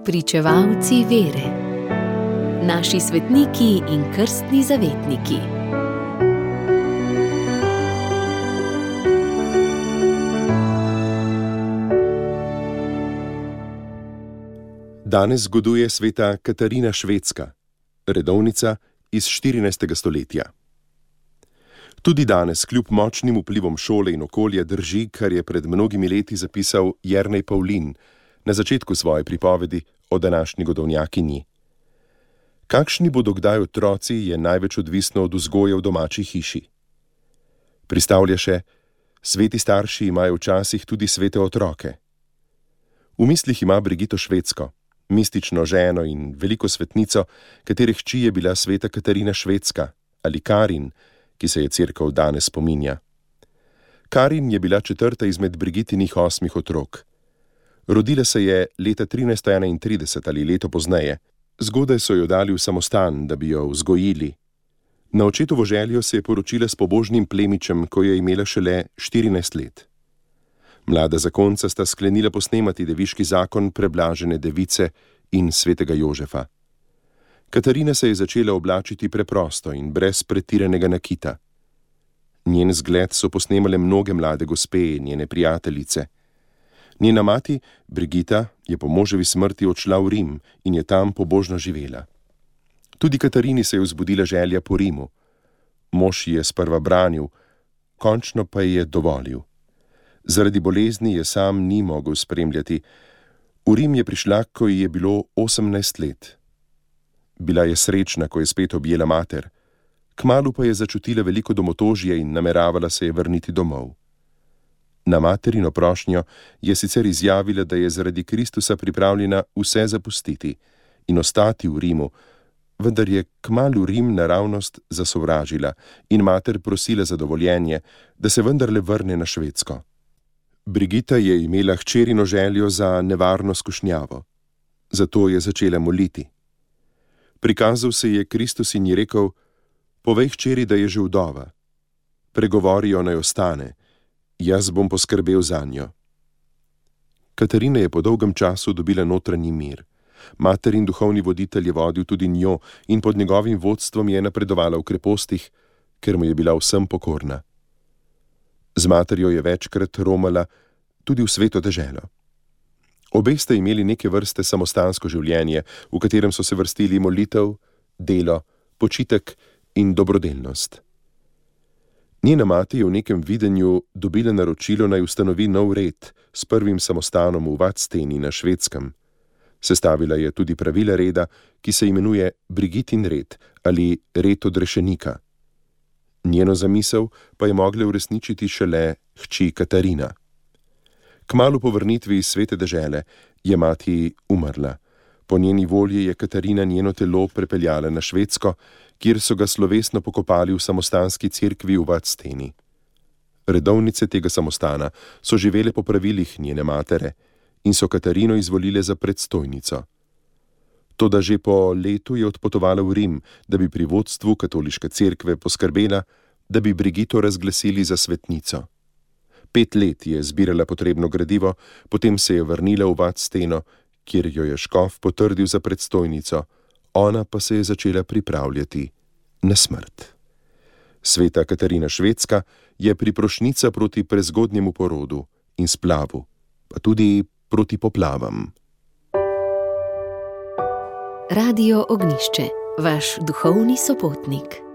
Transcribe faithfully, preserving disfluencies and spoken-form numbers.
Spričevalci vere. Naši svetniki in krstni zavetniki. Danes zgoduje sveta Katarina Švedska, redovnica iz štirinajstega stoletja. Tudi danes, kljub močnim vplivom šole in okolja, drži, kar je pred mnogimi leti zapisal Jernej Pavlin na začetku svoje pripovedi o današnji godovnjakinji. Kakšni bodo kdaj otroci, je največ odvisno od vzgoje v domači hiši. Pristavlja še: sveti starši imajo včasih tudi svete otroke. V mislih ima Brigito Švedsko, mistično ženo in veliko svetnico, katere hči je bila sveta Katarina Švedska ali Karin, ki se je cerkev danes spominja. Karin je bila četrta izmed Brigitinih osmih otrok. Rodila se je leta trinajststo enaintrideset ali leto pozneje. Zgodaj so jo dali v samostan, da bi jo vzgojili. Na očetovo željo se je poročila s pobožnim plemičem, ko je imela šele štirinajst let. Mlada zakonca sta sklenila posnemati deviški zakon preblažene device in svetega Jožefa. Katarina se je začela oblačiti preprosto in brez pretiranega nakita. Njen zgled so posnemale mnoge mlade gospe in njene prijateljice. Njena mati, Brigita, je po moževi smrti odšla v Rim in je tam pobožno živela. Tudi Katarini se je vzbudila želja po Rimu. Mož ji je sprva branil, končno pa ji je dovolil. Zaradi bolezni je sam ni mogel spremljati. V Rim je prišla, ko ji je bilo osemnajst let. Bila je srečna, ko je spet objela mater. Kmalu pa je začutila veliko domotožje in nameravala se je vrniti domov. Na materino prošnjo je sicer izjavila, da je zaradi Kristusa pripravljena vse zapustiti in ostati v Rimu, vendar je kmalu Rim naravnost zasovražila in mater prosila za dovoljenje, da se vendarle vrne na Švedsko. Brigita je imela hčerino željo za nevarno skušnjavo. Zato je začela moliti. Prikazal se je Kristus in ji rekel: povej hčeri, da je že vdova. Pregovorijo, naj ostane. Jaz bom poskrbel zanjo. Katarina je po dolgem času dobila notranji mir. Mater in duhovni voditelj je vodil tudi njo in pod njegovim vodstvom je napredovala v krepostih, ker mu je bila vsem pokorna. Z materjo je večkrat romala tudi v sveto deželo. Obe sta imeli neke vrste samostansko življenje, v katerem so se vrstili molitev, delo, počitek in dobrodelnost. Njena mati je v nekem videnju dobila naročilo, naj ustanovi nov red s prvim samostanom v Vadsteni na Švedskem. Sestavila je tudi pravila reda, ki se imenuje Brigitin red ali red odrešenika. Njeno zamisel pa je mogla uresničiti šele hči Katarina. Kmalu po vrnitvi iz svete dežele je mati umrla. Po njeni volji je Katarina njeno telo prepeljala na Švedsko, kjer so ga slovesno pokopali v samostanski cerkvi v Vadsteni. Redovnice tega samostana so živele po pravilih njene matere in so Katarino izvolile za predstojnico. Toda že po letu je odpotovala v Rim, da bi pri vodstvu katoliške cerkve poskrbela, da bi Brigito razglasili za svetnico. Pet let je zbirala potrebno gradivo, potem se je vrnila v Vadsteno, kjer jo je škof potrdil za predstojnico, ona pa se je začela pripravljati na smrt. Sveta Katarina Švedska je priprošnica proti prezgodnjemu porodu in splavu, pa tudi proti poplavam. Radio Ognjišče, vaš duhovni sopotnik.